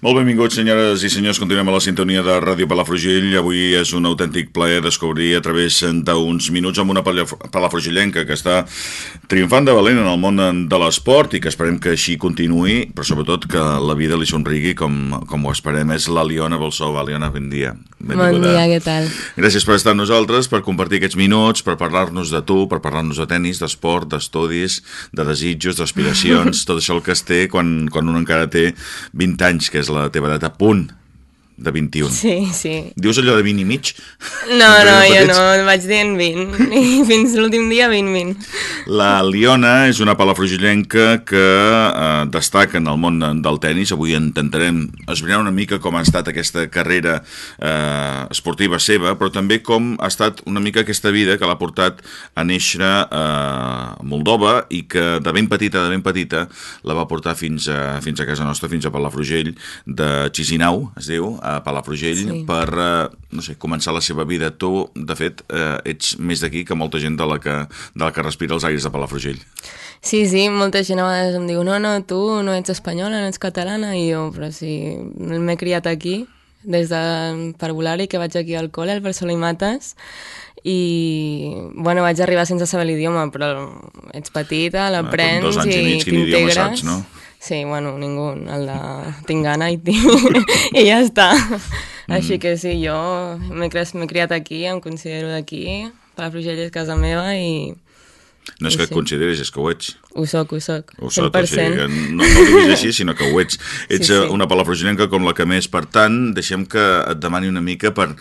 Molt benvinguts, senyores i senyors. Continuem a la sintonia de Ràdio Palafrugell. Avui és un autèntic plaer descobrir a través d'uns minuts amb una palafrugellenca que està triomfant de valent en el món de l'esport i que esperem que així continuï, però sobretot que la vida li somrigui com ho esperem. És l'Aliona Bolsova. Aliona, bon dia. Bon dia, què tal? Gràcies per estar amb nosaltres, per compartir aquests minuts, per parlar-nos de tu, per parlar-nos de tennis, d'esport, d'estudis, de desitjos, d'aspiracions, tot això el que es té quan un encara té 20 anys, que és la teva edat, a punt de 21. Sí, sí. Dius allò de 20 i mig? No, jo no, vaig dient 20. I fins l'últim dia 20. La Liona és una palafrugellenca que destaca en el món del tennis. Avui intentarem esbrinar una mica com ha estat aquesta carrera esportiva seva, però també com ha estat una mica aquesta vida que l'ha portat a néixer a Moldova i que de ben petita la va portar fins a casa nostra, fins a Palafrugell de Chisinau, es diu, a Palafrugell, sí, per començar la seva vida. Tu, de fet, ets més d'aquí que molta gent de la que respira els aires de Palafrugell. Sí, molta gent a vegades em diu no, tu no ets espanyola, no ets catalana, i jo, però sí, m'he criat aquí, des de parvulari, que vaig aquí al col·le, al Barcelona i Mates, i, bueno, vaig arribar sense saber l'idioma, però ets petita, l'aprens i t'integres. 2 anys i mig, quin idioma saps, no? Sí, bueno, ningú, tinc gana i ja està. Així que sí, jo m'he criat aquí, em considero d'aquí, Palafrugell és casa meva i... No és que et consideris, és que ho ets. Ho soc, 100%. O sigui, no ho diguis així, sinó que ho ets. Ets una palafrugellenca com la que més. Per tant, deixem que et demani una mica per...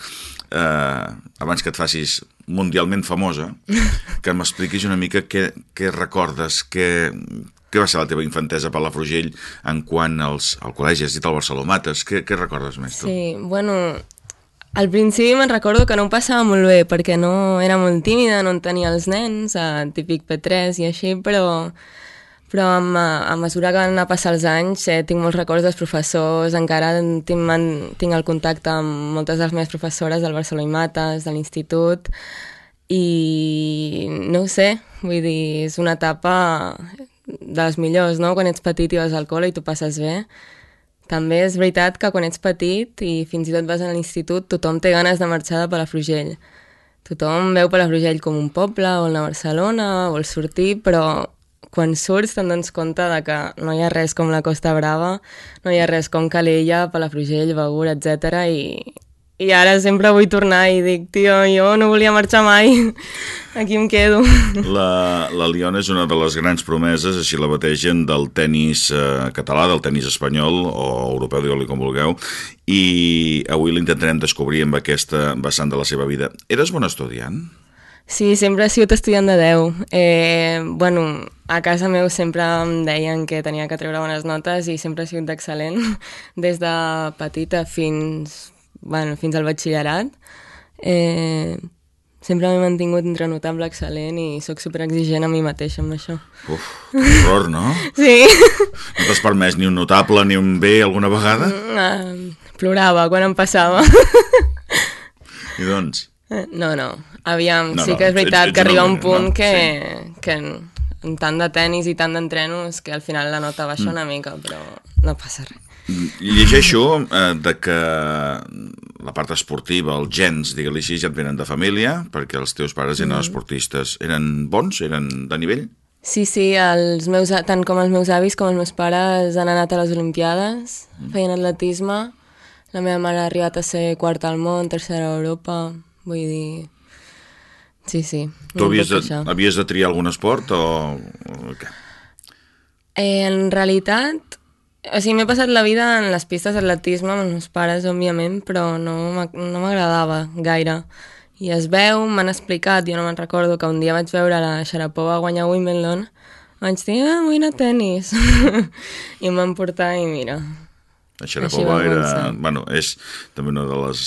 abans que et facis mundialment famosa, que m'expliquis una mica què recordes, què va ser la teva infantesa a Palafrugell en quant al col·legi? Has dit al Barcelona Mates. Què recordes més, tu? Sí, bueno, al principi me'n recordo que no em passava molt bé, perquè no era molt tímida, no en tenia els nens, típic P3 i així, però a mesura que van anar a passar els anys tinc molts records dels professors, encara tinc el contacte amb moltes de les meves professores del Barcelona i Mates, de l'institut, i no ho sé, vull dir, és una etapa de les millors, no? Quan ets petit i vas al col·le i t'ho passes bé. També és veritat que quan ets petit i fins i tot vas a l'institut, tothom té ganes de marxar de Palafrugell. Tothom veu Palafrugell com un poble, vol anar a Barcelona, vol sortir, però quan surts te'n dones compte de que no hi ha res com la Costa Brava, no hi ha res com Calella, Palafrugell, Begur, etc. I ara sempre vull tornar i dic, tio, jo no volia marxar mai, aquí em quedo. La Liona és una de les grans promeses, així la bategen, del tennis català, del tennis espanyol o europeu, digue-li com vulgueu, i avui l'intentarem descobrir amb aquesta vessant de la seva vida. Eres bon estudiant? Sí, sempre he sigut estudiant de 10. Bueno, a casa meu sempre em deien que tenia que treure bones notes i sempre he sigut excel·lent, des de petita fins al batxillerat. Sempre m'he mantingut entre notable, excel·lent i sóc superexigent a mi mateixa amb això. Uf, que horror, no? Sí. No t'has permès ni un notable ni un B alguna vegada? Plorava quan em passava. I doncs? No. Aviam, sí que és veritat que arriba un punt que en tant de tennis i tant d'entrenos que al final la nota baixa una mica, però no passa res. Llegeixo de que la part esportiva, els gens, digue-li així, ja et venen de família, perquè els teus pares eren esportistes. Eren bons? Eren de nivell? Sí, tant com els meus avis com els meus pares han anat a les Olimpiades, feien atletisme. La meva mare ha arribat a ser quarta al món, tercera a Europa, vull dir... Sí. Tu havies de triar algun esport o què? En realitat... O sigui, m'he passat la vida en les pistes d'atletisme amb els meus pares, òbviament, però no m'agradava gaire. I es veu, m'han explicat, jo no me'n recordo, que un dia vaig veure la Sharapova guanyar Wimbledon, vaig dir, vull anar a tennis. I em van portar i mira. La Sharapova és també una de les...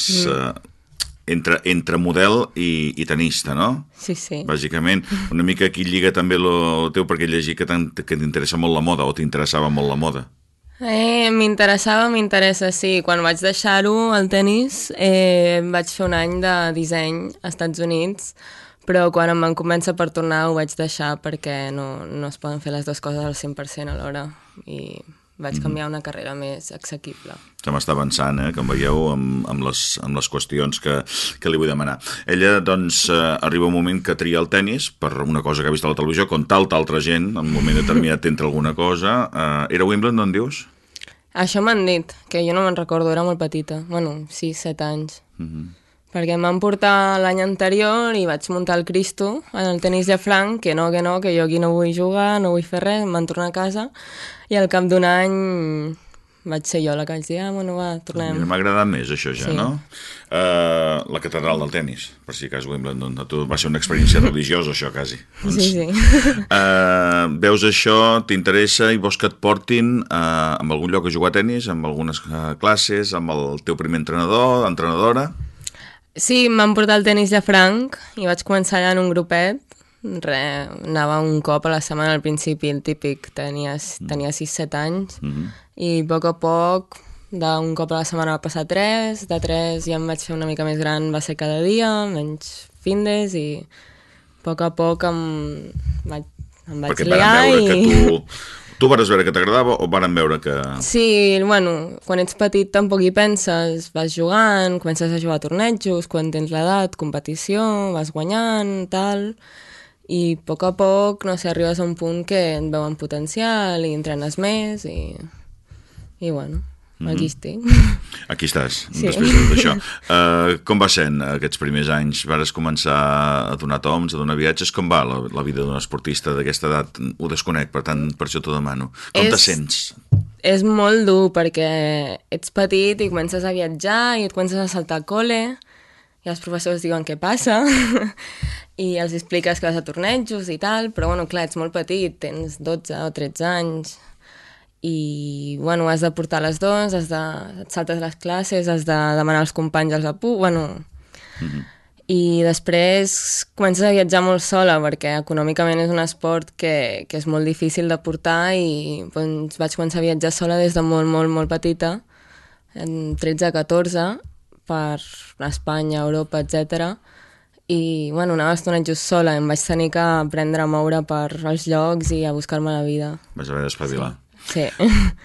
entre model i tenista, no? Sí. Bàsicament, una mica aquí lliga també el teu, perquè llegir que t'interessa molt la moda, o t'interessava molt la moda. M'interessa, sí. Quan vaig deixar-ho, el tennis, vaig fer un any de disseny als Estats Units, però quan em van convèncer per tornar ho vaig deixar perquè no es poden fer les dues coses al 100% alhora. I vaig canviar a una carrera més assequible. Se m'està avançant, com veieu, amb les qüestions que li vull demanar. Ella, doncs, arriba un moment que tria el tennis per una cosa que ha vist a la televisió, com altra gent, en un moment determinat entra alguna cosa. Era Wimbledon, dius? Això m'han dit, que jo no me'n recordo, era molt petita. Bueno, 6-7 anys. Perquè em van portar l'any anterior i vaig muntar el Cristo en el tenis Llafranc, que jo aquí no vull jugar, no vull fer res, em van tornar a casa i al cap d'un any vaig ser jo la que vaig dir, bueno, va, tornem. M'ha agradat més això ja, Sí. no? La catedral del tenis, per si cas Wimbledon, va ser una experiència religiosa això, quasi. Sí. Veus això, t'interessa i vols que et portin en algun lloc a jugar a tenis, amb algunes classes, amb el teu primer entrenadora? Sí, m'han portat el tenis Llafranc i vaig començar allà en un grupet. Anava un cop a la setmana al principi, el típic, tenia 6-7 anys, i a poc, d'un cop a la setmana va passar 3, de 3 ja em vaig fer una mica més gran, va ser cada dia, menys findes, i a poc em vaig liar i... Tu vares veure que t'agradava o varen veure que... Sí, bueno, quan ets petit tampoc hi penses, vas jugant, comences a jugar a tornejos, quan tens l'edat, competició, vas guanyant, tal, i a poc, no sé, arribes a un punt que et veuen potencial i entrenes més i bueno, aquí estic. Aquí estàs, Sí. després d'això. Com va sent aquests primers anys? Vares començar a donar toms, a donar viatges? Com va la vida d'un esportista d'aquesta edat? Ho desconec, per tant, per això t'ho demano. Com te sents? És molt dur perquè ets petit i comences a viatjar i et comences a saltar a col·le i els professors diuen què passa i els expliques que vas a tornejos i tal, però bueno, clar, ets molt petit, tens 12 o 13 anys i bueno, has de portar les dos, et saltes les classes, has de demanar als companys els apus, bueno... I després comences a viatjar molt sola perquè econòmicament és un esport que és molt difícil de portar i doncs, vaig començar a viatjar sola des de molt, molt, molt petita, en 13-14, per Espanya, Europa, etc. I bueno, anava a tornejos sola, em vaig tenir que aprendre a moure per els llocs i a buscar-me la vida. Vas haver d'espavilar. Sí.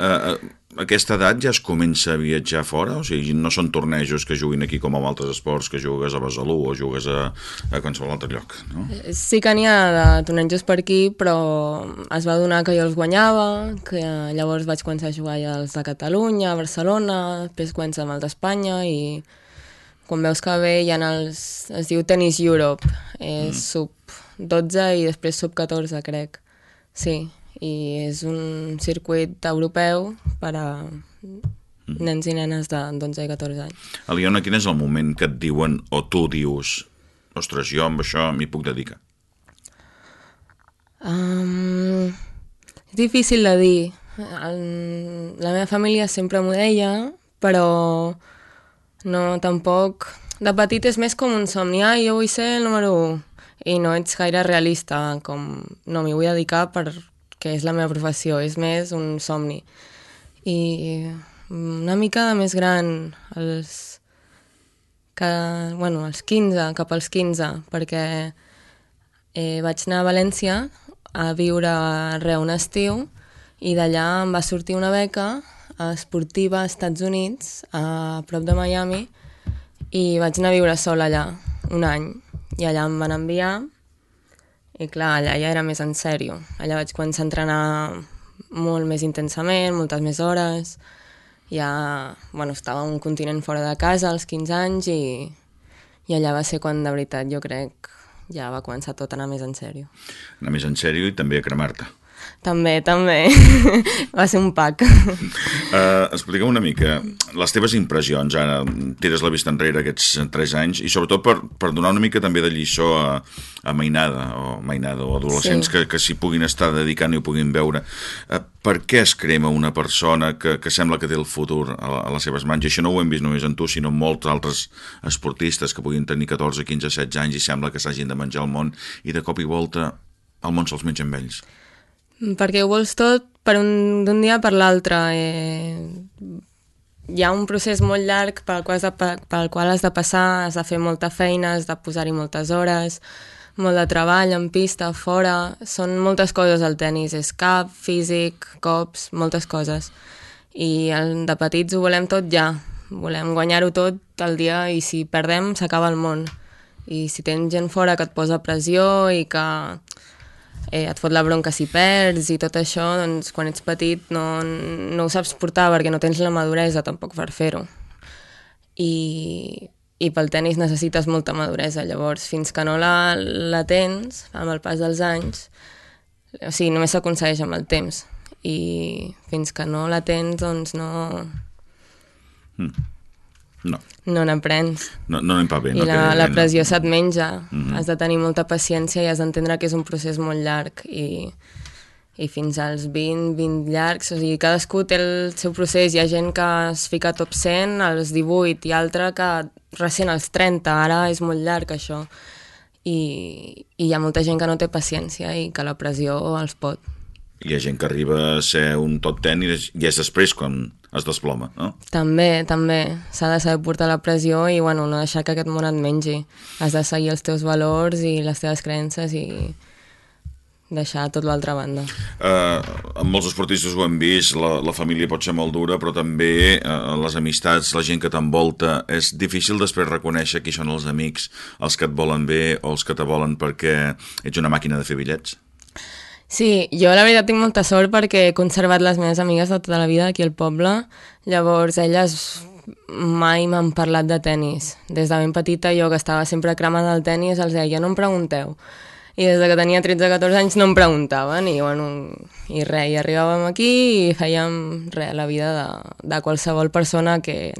A aquesta edat ja es comença a viatjar fora? O sigui, no són tornejos que juguin aquí com amb altres esports, que jugues a Besalú o jugues a qualsevol altre lloc, no? Sí que n'hi ha de tornejos per aquí, però es va donar que jo els guanyava, que llavors vaig començar a jugar ja els de Catalunya, a Barcelona, després comença amb els d'Espanya i quan veus que bé hi ha es diu Tennis Europe, és sub 12 i després sub 14, crec. Sí, i és un circuit europeu per a nens i nenes de 12 i 14 anys. Aliona, quin és el moment que et diuen o tu dius ostres, jo amb això m'hi puc dedicar? És difícil de dir. La meva família sempre m'ho deia, però no, tampoc... De petit és més com un somni, jo vull ser el número 1, i no ets gaire realista, com no m'hi vull dedicar perquè és la meva professió, és més un somni. I una mica més gran, als 15, cap als 15, perquè vaig anar a València a viure un estiu i d'allà em va sortir una beca esportiva als Estats Units, a prop de Miami, i vaig anar a viure sola allà un any. I allà em van enviar i clar, allà ja era més en sèrio. Allà vaig començar a entrenar molt més intensament, moltes més hores. Ja, estava a un continent fora de casa als 15 anys i allà va ser quan de veritat jo crec ja va començar tot a anar més en sèrio. Anar més en sèrio i també a cremar-te. També. Va ser un pack. Explica'm una mica les teves impressions, ara tires la vista enrere aquests 3 anys i sobretot per donar una mica també de lliçó a mainada o adolescents sí. que s'hi puguin estar dedicant i ho puguin veure. Per què es crema una persona que sembla que té el futur a les seves mans? I això no ho hem vist només en tu, sinó en molts altres esportistes que puguin tenir 14, 15, 16 anys i sembla que s'hagin de menjar el món i de cop i volta el món se'ls menja amb ells. Perquè ho vols tot d'un dia per l'altre. Hi ha un procés molt llarg pel qual has de passar, has de fer molta feina, has de posar-hi moltes hores, molt de treball en pista, fora, són moltes coses el tennis, és cap, físic, cops, moltes coses. I de petits ho volem tot ja, volem guanyar-ho tot el dia i si perdem s'acaba el món. I si tens gent fora que et posa pressió i que et fot la bronca si perds i tot això, doncs quan ets petit no ho saps portar perquè no tens la maduresa tampoc per fer-ho. I pel tenis necessites molta maduresa, llavors fins que no la tens amb el pas dels anys, o sigui, només s'aconsegueix amb el temps i fins que no la tens doncs no n'aprens. No anem pa bé. I la pressió se't menja. Has de tenir molta paciència i has d'entendre que és un procés molt llarg i fins als 20 llargs, o sigui, cadascú té el seu procés. Hi ha gent que es fica a top 100 als 18 i altra que recent als 30, ara és molt llarg això. I hi ha molta gent que no té paciència i que la pressió els pot. Hi ha gent que arriba a ser un top 10 i és després quan es desploma, no? També. S'ha de saber portar la pressió i no deixar que aquest món et mengi. Has de seguir els teus valors i les teves creences i deixar tot l'altra banda. Amb molts esportistes ho hem vist, la família pot ser molt dura, però també les amistats, la gent que t'envolta, és difícil després reconèixer qui són els amics, els que et volen bé o els que te volen perquè ets una màquina de fer bitllets. Sí, jo la veritat tinc molta sort perquè he conservat les meves amigues de tota la vida aquí al poble, llavors elles mai m'han parlat de tennis. Des de ben petita jo que estava sempre cremada del tennis els deia no em pregunteu. I des de que tenia 13-14 anys no em preguntaven i res, i arribàvem aquí i fèiem la vida de qualsevol persona que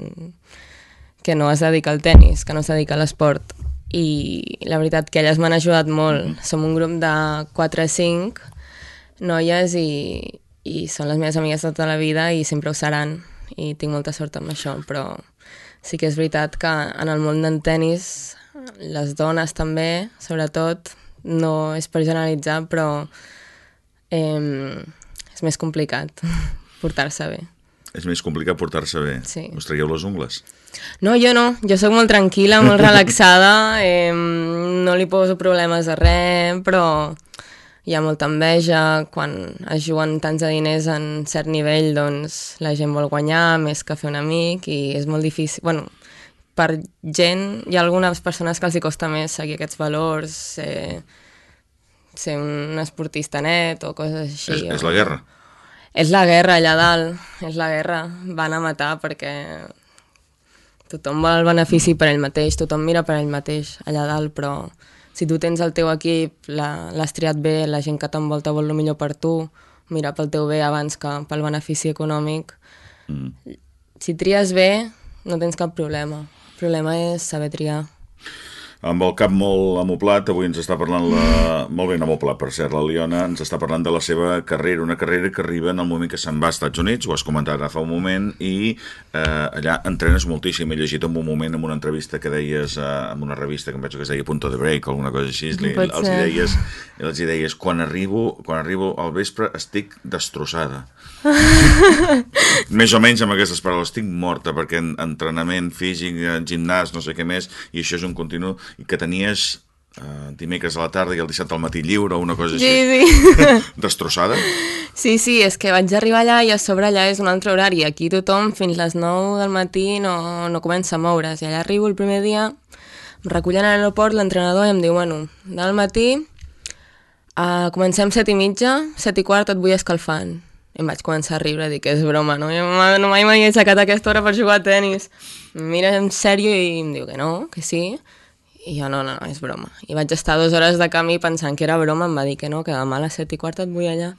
no es dedica al tennis, que no es dedica a l'esport. I la veritat que elles m'han ajudat molt. Som un grup de 4-5 noies i són les meves amigues de tota la vida i sempre ho seran i tinc molta sort amb això, però sí que és veritat que en el món del tennis les dones també, sobretot, no és per generalitzar, però és més complicat portar-se bé. És més complicat portar-se bé? Sí. Us traieu les ungles? No, jo no. Jo sóc molt tranquil·la, molt relaxada, no li poso problemes a res, però hi ha molta enveja. Quan es juguen tants de diners en cert nivell, doncs la gent vol guanyar més que fer un amic i és molt difícil. Bueno, per gent, hi ha algunes persones que els hi costa més seguir aquests valors, ser un esportista net o coses així. És la guerra? És la guerra allà dalt, és la guerra. Van a matar perquè tothom vol el benefici per ell mateix, tothom mira per ell mateix allà dalt, però si tu tens el teu equip, l'has triat bé, la gent que t'envolta vol el millor per tu, mira pel teu bé abans que pel benefici econòmic. Si tries bé, no tens cap problema. El problema és saber triar. Amb el cap molt amoplat, avui ens està parlant molt ben amoplat, per cert, la Liona, ens està parlant de la seva carrera, una carrera que arriba en el moment que se'n va als Estats Units, ho has comentat ara fa un moment, i allà entrenes moltíssim. He llegit en un moment en una entrevista que deies, en una revista que em penso que es deia Punto de Break o alguna cosa així, els deies, quan arribo al vespre estic destrossada. Més o menys amb aquestes paraules, estic morta perquè entrenament físic, gimnàs, no sé què més, i això és un continu, i que tenies dimecres a la tarda i el dissabte al matí lliure o una cosa així. Sí. Destrossada? Sí, és que vaig arribar allà i a sobre allà és un altre horari. Aquí tothom fins les 9 del matí no comença a moure's. I allà arribo el primer dia, em recullen a l'aeroport l'entrenador i em diu, del matí comencem 7:30, 7:15 et vull escalfant. I em vaig començar a riure, dic, és broma, no? Jo mai m'havia aixecat a aquesta hora per jugar a tenis. Em mira en sèrio i em diu que no, que sí. I jo, no, és broma. I vaig estar 2 hores de camí pensant que era broma, em va dir que no, que demà a les 7:15 et vull allà.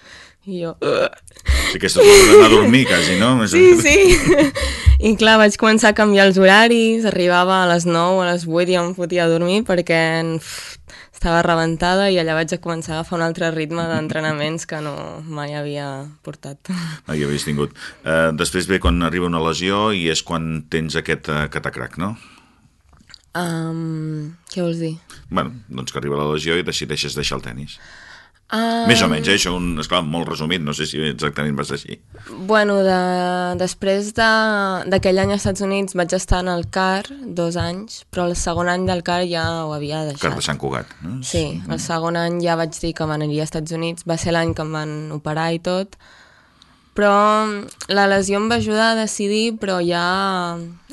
I jo... Sí, aquesta és l'hora d'anar a dormir, quasi, no? Sí. I clar, vaig començar a canviar els horaris, arribava a les 9, a les 8 i em fotia a dormir perquè estava rebentada i allà vaig començar a agafar un altre ritme d'entrenaments que mai havia portat. Mai havies tingut. Després ve quan arriba una lesió i és quan tens aquest catacrac, no? Què vols dir? Bueno, doncs que arriba la lesió i decideixes deixar el tenis. Més o menys, això esclar, molt resumit, no sé si exactament va ser així. Bueno, després d'aquell any als Estats Units vaig estar en el CAR 2 anys, però el segon any del CAR ja ho havia deixat. CAR de Sant Cugat. No? Sí, el segon any ja vaig dir que m'aniria als Estats Units, va ser l'any que em van operar i tot, però la lesió em va ajudar a decidir, però ja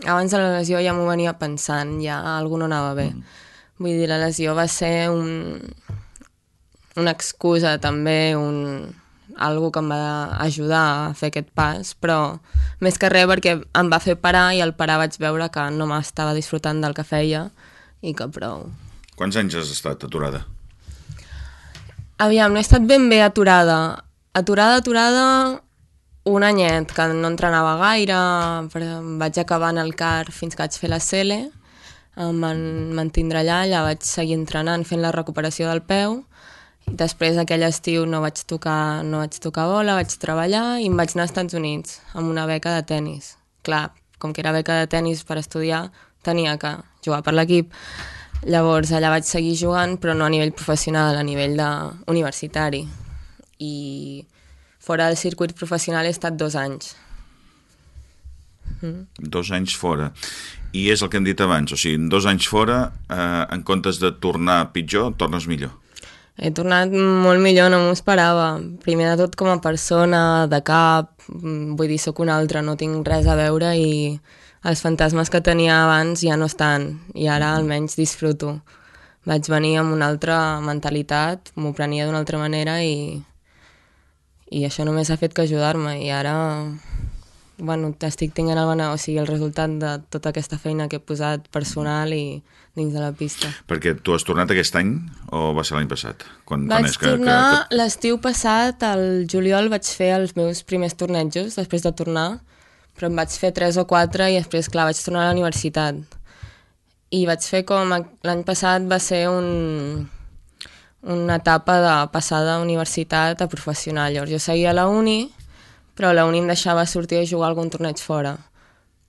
abans de la lesió ja m'ho venia pensant, ja alguna no anava bé. Vull dir, la lesió va ser una excusa també, algo que em va ajudar a fer aquest pas, però més que res perquè em va fer parar i al parar vaig veure que no m'estava disfrutant del que feia i que prou. Quants anys has estat aturada? Aviam, no he estat ben bé aturada. Aturada, un anyet, que no entrenava gaire, vaig acabar en el CAR fins que vaig fer la CL, em van mantindre allà vaig seguir entrenant fent la recuperació del peu. Després aquell estiu no vaig tocar bola, vaig treballar i em vaig anar als Estats Units amb una beca de tennis. Clar, com que era beca de tennis per estudiar, tenia que jugar per l'equip. Llavors allà vaig seguir jugant, però no a nivell professional, a nivell universitari. I fora del circuit professional he estat 2 anys. 2 anys fora. I és el que hem dit abans, o sigui, en 2 anys fora, en comptes de tornar pitjor, tornes millor. He tornat molt millor, no m'ho esperava. Primer de tot com a persona, de cap, vull dir, sóc una altra, no tinc res a veure i els fantasmes que tenia abans ja no estan i ara almenys disfruto. Vaig venir amb una altra mentalitat, m'ho prenia d'una altra manera i això només ha fet que ajudar-me i ara bueno, estic tenint el resultat de tota aquesta feina que he posat personal i dins de la pista. Perquè tu has tornat aquest any o va ser l'any passat? Vaig tornar l'estiu passat, al juliol vaig fer els meus primers tornejos després de tornar, però em vaig fer 3 o 4 i després, clar, vaig tornar a la universitat. I vaig fer com l'any passat va ser una etapa de passar de universitat a professional. Llavors jo seguia a la uni, però la uni em deixava sortir a jugar algun torneig fora.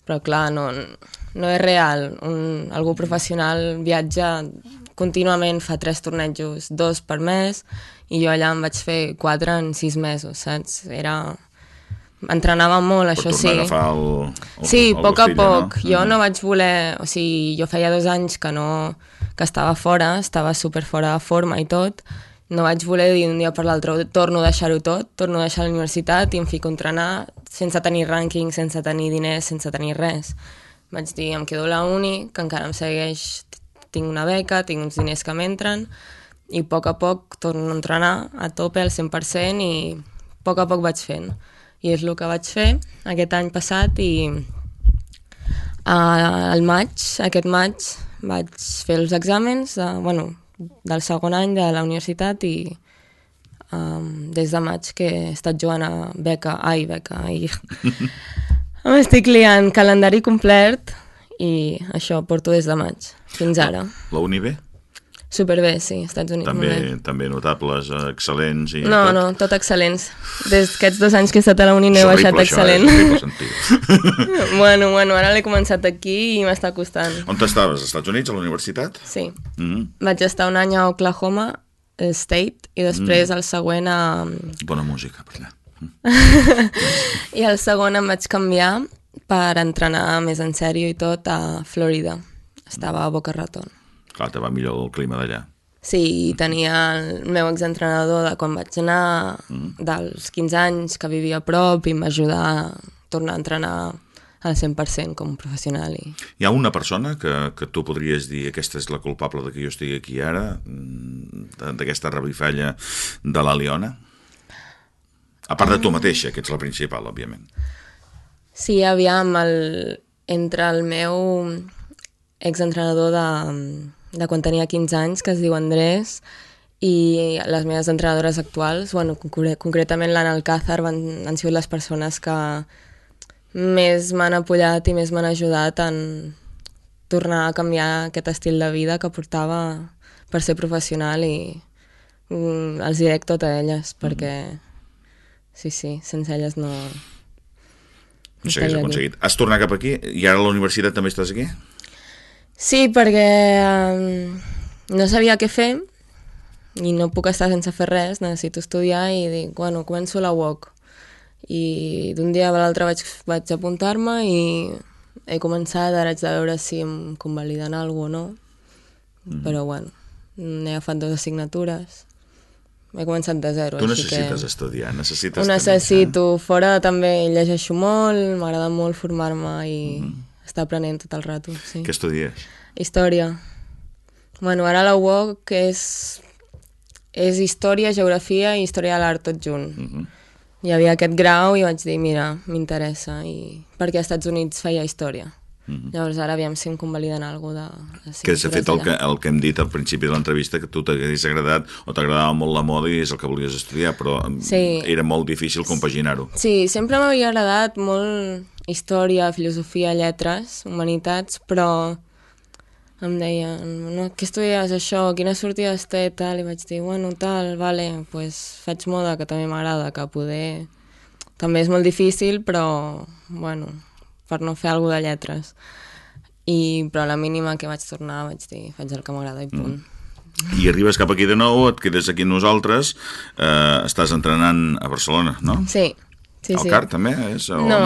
Però clar, no és real. Algú professional viatja contínuament, fa 3 tornejos, 2 per mes, i jo allà em vaig fer 4 en 6 mesos, saps? Entrenava molt, això sí. Per tornar a agafar sí, a poc. No? Jo no vaig voler... O sigui, jo feia 2 anys que estava fora, estava super fora de forma i tot. No vaig voler dir d'un dia per l'altre, torno a deixar-ho tot, torno a deixar la universitat i em fico a entrenar sense tenir rànquing, sense tenir diners, sense tenir res. Vaig dir, em quedo a la uni, que encara em segueix, tinc una beca, tinc uns diners que m'entren, i a poc torno a entrenar a tope al 100% i a poc vaig fent. I és el que vaig fer aquest any passat i aquest maig vaig fer els exàmens, del segon any de la universitat i des de maig que he estat jugant a beca. M'estic liant, calendari complet i això porto des de maig fins ara. La uni bé? Superbé, sí, Estats Units. També notables, excel·lents i no, tot excel·lents. Des d'aquests 2 anys que he estat a la uni no he baixat excel·lent. Bueno, ara l'he començat aquí i m'està costant. On t'estaves? Als Estats Units, a la universitat? Sí. Vaig estar un any a Oklahoma State i després el següent a... Bona música per allà. I el segon em vaig canviar per entrenar més en sèrio i tot a Florida. Estava a Boca Raton. Clar, te va millor el clima d'allà. Sí, tenia el meu exentrenador de quan vaig anar, dels 15 anys, que vivia a prop i m'ajudà a tornar a entrenar al 100% com un professional. Hi ha una persona que tu podries dir aquesta és la culpable de que jo estigui aquí ara, d'aquesta revifalla de la Liona? A part de tu mateixa, que ets la principal, òbviament. Sí, aviam, entre el meu exentrenador de quan tenia 15 anys, que es diu Andrés, i les meves entrenadores actuals, concretament l'Anna Alcázar, han sigut les persones que més m'han apoyat i més m'han ajudat en tornar a canviar aquest estil de vida que portava per ser professional i els hi dec tot a elles, perquè sí, sense elles no... No s'hagués aconseguit. Has tornat cap aquí i ara a la universitat també estàs aquí? Sí, perquè no sabia què fer. i no puc estar sense fer res, necessito estudiar i dic, bueno, començo la UOC. I d'un dia a l'altre vaig apuntar-me i he començat, ara haig de veure si em convaliden alguna cosa o no, però bueno, he agafat 2 assignatures, he començat de zero. Tu necessites estudiar, necessites... Ho necessito, fora també llegeixo molt, m'agrada molt formar-me i estar aprenent tot el rato. Sí. Què estudies? Història. Bueno, ara la UOC és història, geografia i història de l'art tot junt. Hi havia aquest grau i vaig dir, mira, m'interessa, perquè als Estats Units feia història. Llavors ara aviam si em convaliden alguna cosa de... Que s'ha fet el que hem dit al principi de l'entrevista, que tu t'hagués agradat o t'agradava molt la moda i és el que volies estudiar, però era molt difícil compaginar-ho. Sí, sempre m'havia agradat molt història, filosofia, lletres, humanitats, però em deien, no, què estudies això, quines sortides té, tal, i vaig dir, bueno, tal, vale, pues faig moda, que també m'agrada, que poder... També és molt difícil, però, bueno, per no fer alguna de lletres. Però a la mínima que vaig tornar vaig dir, faig el que m'agrada i punt. I arribes cap aquí de nou, et quedes aquí amb nosaltres, estàs entrenant a Barcelona, no? Sí. El CAR també és? No,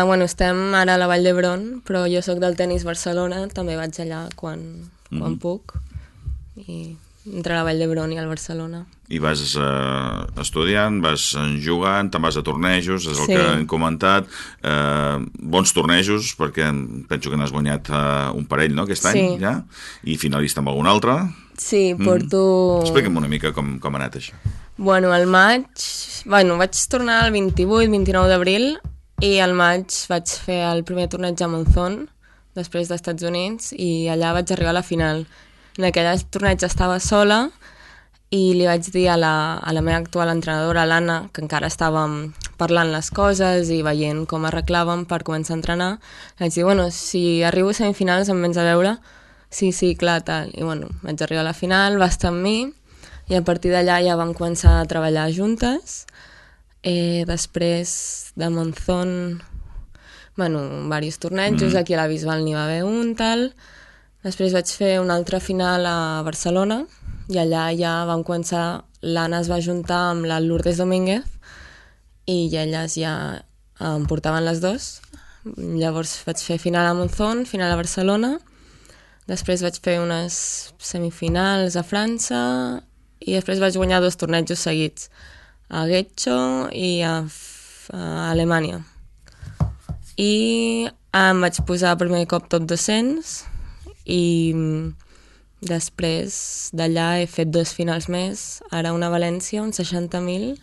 bueno, estem ara a la Vall d'Hebron, però jo sóc del Tenis Barcelona, també vaig allà quan puc, i entre la Vall d'Hebron i el Barcelona. I vas estudiant, vas jugant, te'n vas a tornejos, és el que hem comentat. Bons tornejos, perquè penso que n'has guanyat un parell, no?, aquest any, ja? I finalista amb algun altre? Sí, porto... Explica'm una mica com ha anat això. Bueno, al maig... Bueno, vaig tornar el 28-29 d'abril i al maig vaig fer el primer torneig a Monzón, després dels Estats Units, i allà vaig arribar a la final. En aquell torneig estava sola i li vaig dir a la meva actual entrenadora, l'Anna, que encara estàvem parlant les coses i veient com arreglàvem per començar a entrenar, vaig dir, bueno, si arribo a semifinals em vens a veure? Sí, clar, tal. I bueno, vaig arribar a la final, va estar amb mi, i a partir d'allà ja vam començar a treballar juntes. Després de Monzón, bueno, diversos tornejos, aquí a la Bisbal n'hi va haver un, tal. Després vaig fer una altra final a Barcelona, i allà ja vam començar, l'Anna es va juntar amb la Lourdes Domínguez, i elles ja em portaven les dues. Llavors vaig fer final a Monzón, final a Barcelona, després vaig fer unes semifinals a França, i després vaig guanyar 2 tornejos seguits, a Getxo i a Alemanya. I em vaig posar primer cop top 200 i després d'allà he fet 2 finals més, ara una a València, un 60.000,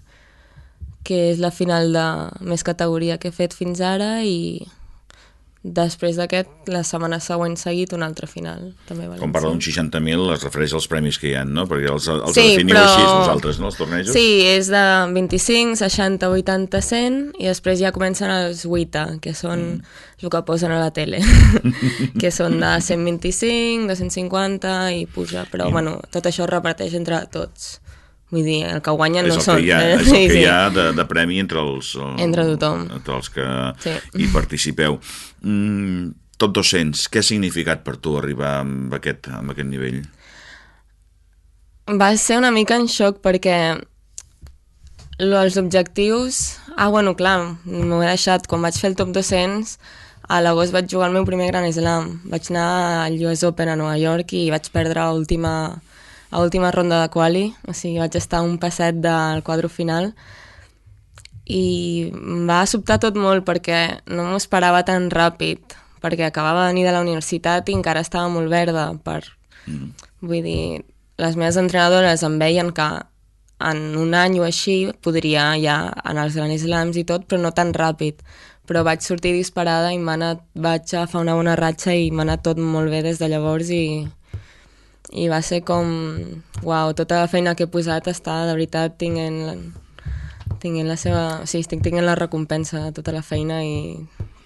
que és la final de més categoria que he fet fins ara, i després d'aquest, la setmana següent seguit, una altra final, també a València. Quan parla d'un 60.000 es refereix als premis que hi ha, no? Perquè els definiu així vosaltres, no, els tornejos? Sí, és de 25, 60, 80, 100, i després ja comencen els 8, que són el que posen a la tele, que són de 125, 250 i puja, però bueno, tot això es reparteix entre tots. Vull dir, el que guanyen no són. És el que hi ha de premi entre tothom. Entre els que hi participeu. Top 200, què ha significat per tu arribar amb aquest nivell? Va ser una mica en xoc perquè els objectius... bueno, clar, m'ho he deixat. Quan vaig fer el top 200, a l'agost vaig jugar el meu primer Grand Slam. Vaig anar al US Open a Nova York i vaig perdre a última ronda de quali, o sigui, vaig estar un passet del quadre final, i em va sobtar tot molt perquè no m'ho esperava tan ràpid, perquè acabava de venir de la universitat i encara estava molt verda. Vull dir, les meves entrenadores em veien que en un any o així podria ja anar als Grand Slams i tot, però no tan ràpid. Però vaig sortir disparada i vaig agafar una bona ratxa i m'ha anat tot molt bé des de llavors, i va ser com, uau, tota la feina que he posat està de veritat tinguent la seva... O sigui, estic tinguent la recompensa de tota la feina i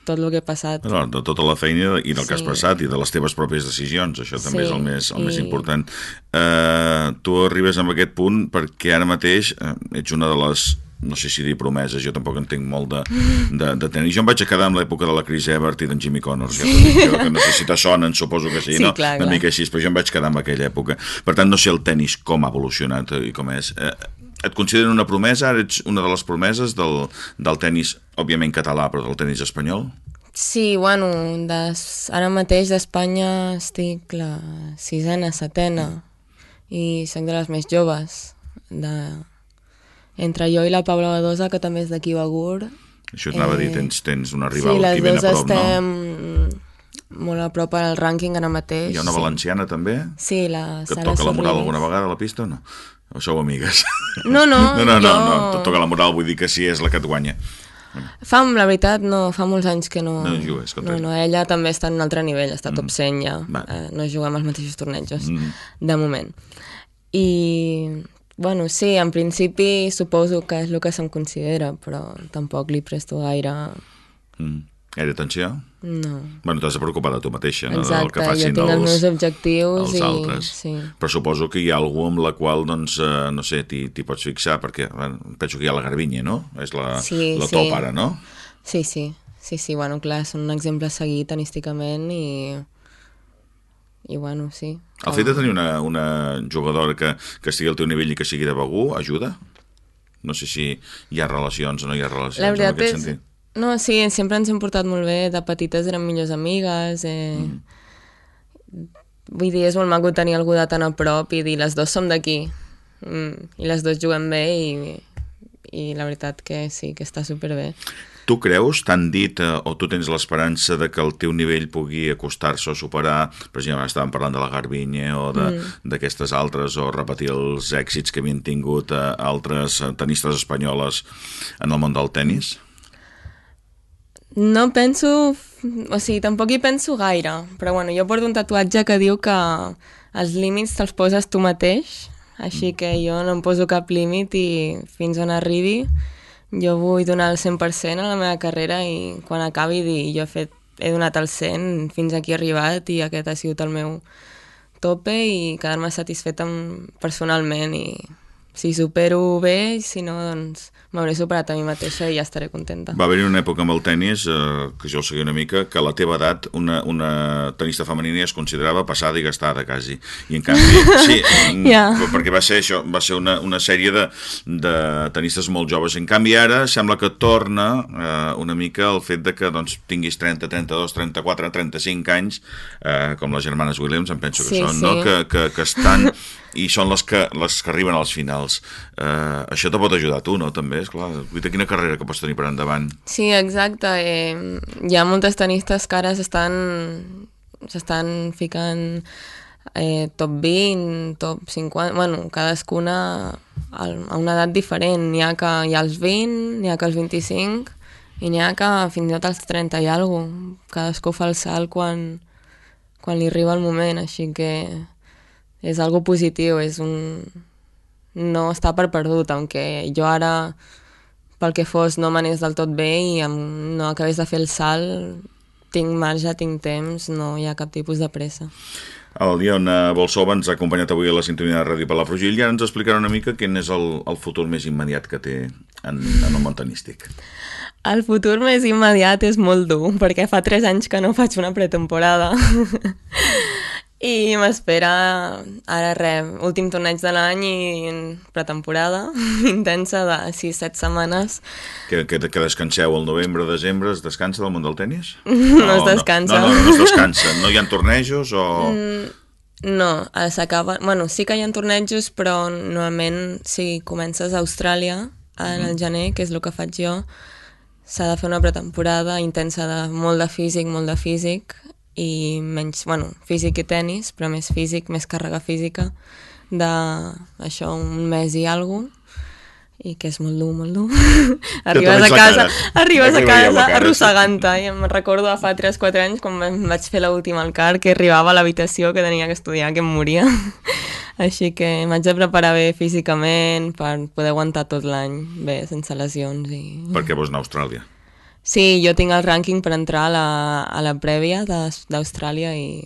tot el que he passat. De tota la feina i del que has passat i de les teves pròpies decisions, això també és el més important. Tu arribes a aquest punt perquè ara mateix ets una de les no sé si dir promeses, jo tampoc entenc molt de tenis. Jo em vaig a quedar amb l'època de la Chris Evert i d'en Jimmy Connors, jo, que no sé si te sonen, suposo que sí, no? Clar, una mica així, però jo em vaig quedar amb aquella època. Per tant, no sé el tenis com ha evolucionat i com és. Et consideren una promesa? Ara ets una de les promeses del tenis, òbviament català, però del tenis espanyol? Sí, bueno, ara mateix d'Espanya estic la 6ena, 7ena, i soc de les més joves, entre jo i la Paula Badosa, que també és d'aquí Begur. Això t'anava a dir, tens una rival sí, aquí ben a prop, no? Sí, les dues estem molt a prop al rànquing ara mateix. Hi ha una valenciana, també? Sí, la Sara Sorribes. Que et toca la moral alguna vegada a la pista o no? O sou amigues? No, et toca la moral, vull dir que sí és la que et guanya. La veritat, no, fa molts anys que no... No jugues contra ella. No, ella també està en un altre nivell, està top 100 ja. No juguem als mateixos tornejos, de moment. I... Bueno, sí, en principi suposo que és el que se'm considera, però tampoc li presto gaire... Gaire atenció? No. Bueno, t'has de preocupar de tu mateixa, no? Exacte, del que facin jo tinc els meus objectius els altres. Sí. Però suposo que hi ha algú amb la qual, doncs, no sé, t'hi pots fixar, perquè penso que hi ha la Garbiñe, no? És la top ara, no? Sí, bueno, clar, són un exemple a seguir tenísticament i bueno, sí. El fet de tenir una jugadora que estigui al teu nivell i que sigui de Begur ajuda? No sé si hi ha relacions o no hi ha relacions en aquest sentit. No, sí, sempre ens hem portat molt bé, de petites érem millors amigues, vull dir, és molt maco tenir algú de tan a prop i dir, les dues som d'aquí, i les dues juguem bé i la veritat que sí, que està superbé. Tu creus, t'han dit, o tu tens l'esperança de que el teu nivell pugui acostar-se o superar, per exemple, estàvem parlant de la Garbiñe o d'aquestes altres, o repetir els èxits que havien tingut altres tenistes espanyoles en el món del tenis? No penso... O sigui, tampoc hi penso gaire, però bueno, jo porto un tatuatge que diu que els límits te'ls poses tu mateix, així que jo no em poso cap límit i fins on arribi jo vull donar el 100% a la meva carrera i quan acabi dir jo he donat el 100, fins aquí he arribat i aquest ha sigut el meu tope i quedar-me satisfeta personalment i si supero bé, si no, doncs m'hauré superat a mi mateixa i ja estaré contenta. Va haver-hi una època amb el tennis, que jo el seguia una mica, que a la teva edat una tenista femenina es considerava passada i gastada, quasi. I en canvi, sí, perquè va ser això, va ser una sèrie de tenistes molt joves. En canvi, ara sembla que torna una mica el fet de que doncs, tinguis 30, 32, 34, 35 anys, com les germanes Williams, em penso que són, no? Que estan... i són les que arriben als finals. Això te pot ajudar a tu, no? També, esclar, quina carrera que pots tenir per endavant. Sí, exacte. Hi ha moltes tenistes que ara s'estan ficant top 20, top 50, bueno, cadascuna a una edat diferent. N'hi ha que hi ha els 20, n'hi ha que els 25, i n'hi ha que fins i tot als 30 i alguna cosa. Cadascú fa el salt quan li arriba el moment, així que és algo positiu, no està per perdut, aunque jo ara, pel que fos, no m'anés del tot bé i no acabés de fer el salt, tinc marge, tinc temps, no hi ha cap tipus de pressa. El Diona Bolsova ens ha acompanyat avui a la sintonia de Ràdio Palafrugell i ara ens explicarà una mica quin és el futur més immediat que té en el món tenístic. El futur més immediat és molt dur, perquè fa 3 anys que no faig una pretemporada. I m'espera, ara últim torneig de l'any i pretemporada intensa de 6-7 setmanes. Que descanseu al novembre, desembre, es descansa del món del tenis? No es descansa. No es descansa. No hi ha tornejos o...? No, s'acaba... Bueno, sí que hi ha tornejos, però normalment si comences a Austràlia en el gener, que és el que faig jo, s'ha de fer una pretemporada intensa de molt de físic, i menys, bueno, físic i tenis, però més físic, més càrrega física, d'això, un mes i alguna cosa, i que és molt dur. Arribes a casa arrossegant-te, i em recordo de fa 3-4 anys, quan vaig fer l'última al CAR, que arribava a l'habitació que tenia que estudiar, que em moria. Així que m'haig de preparar bé físicament per poder aguantar tot l'any bé, sense lesions. Per què vols anar a Austràlia? Sí, jo tinc el rànquing per entrar a la prèvia d'Austràlia i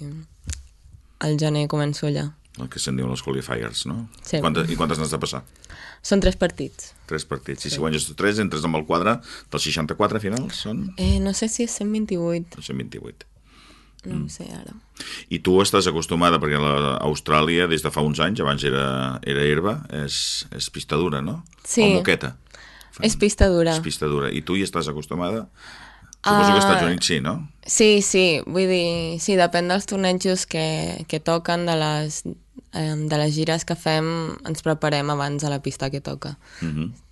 al gener començo allà. el que se'n diuen els qualifiers, no? Sí. I quantes n'has de passar? Són 3 partits. 3 partits. I si guanyes 3, entres amb el quadre dels 64 finals, són? No sé si és 128. 128. No ho sé ara. I tu estàs acostumada, perquè Austràlia des de fa uns anys, abans era herba, és pista dura, no? Sí. O moqueta. És pista dura. És pista dura. I tu hi estàs acostumada? Suposo que als Estats Units sí, no? Sí. Vull dir, sí, depèn dels tornejos que toquen, de les gires que fem, ens preparem abans a la pista que toca.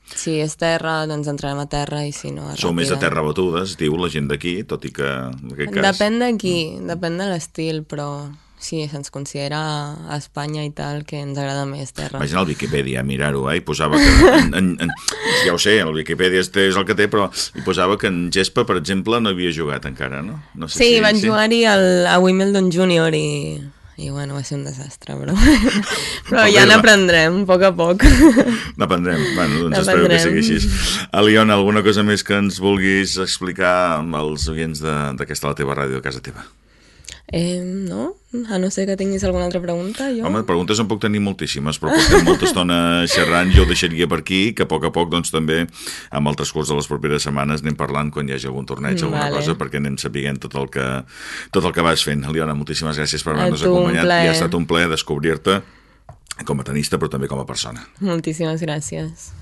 Si és terra, doncs entrem a terra, i si no... Sou més de terra batudes, diu la gent d'aquí, tot i que en aquest cas... Depèn d'aquí, depèn de l'estil, però sí, se'ns considera a Espanya i tal que ens agrada més terra. Imagina el Viquipèdia, mirar-ho, i posava que... ja ho sé, el Viquipèdia és el que té, però hi posava que en gespa, per exemple, no havia jugat encara, no? No sé sí, si, vaig jugar-hi a Wimbledon Júnior i bueno, va ser un desastre, però ja n'aprendrem, a poc. N'aprendrem, bueno, doncs espero que sigui així. Aliona, alguna cosa més que ens vulguis explicar amb els oients d'aquesta la teva ràdio de casa teva? No? A no ser que tinguis alguna altra pregunta, jo... Home, preguntes en puc tenir moltíssimes, però portem molta estona xerrant, jo ho deixaria per aquí, que a poc, doncs, també, amb el transcurs de les properes setmanes, anem parlant quan hi hagi algun torneig, alguna cosa, perquè anem sapiguent tot el que vas fent. Aliona, moltíssimes gràcies per haver-nos acompanyat, i ha estat un plaer descobrir-te com a tenista, però també com a persona. Moltíssimes gràcies.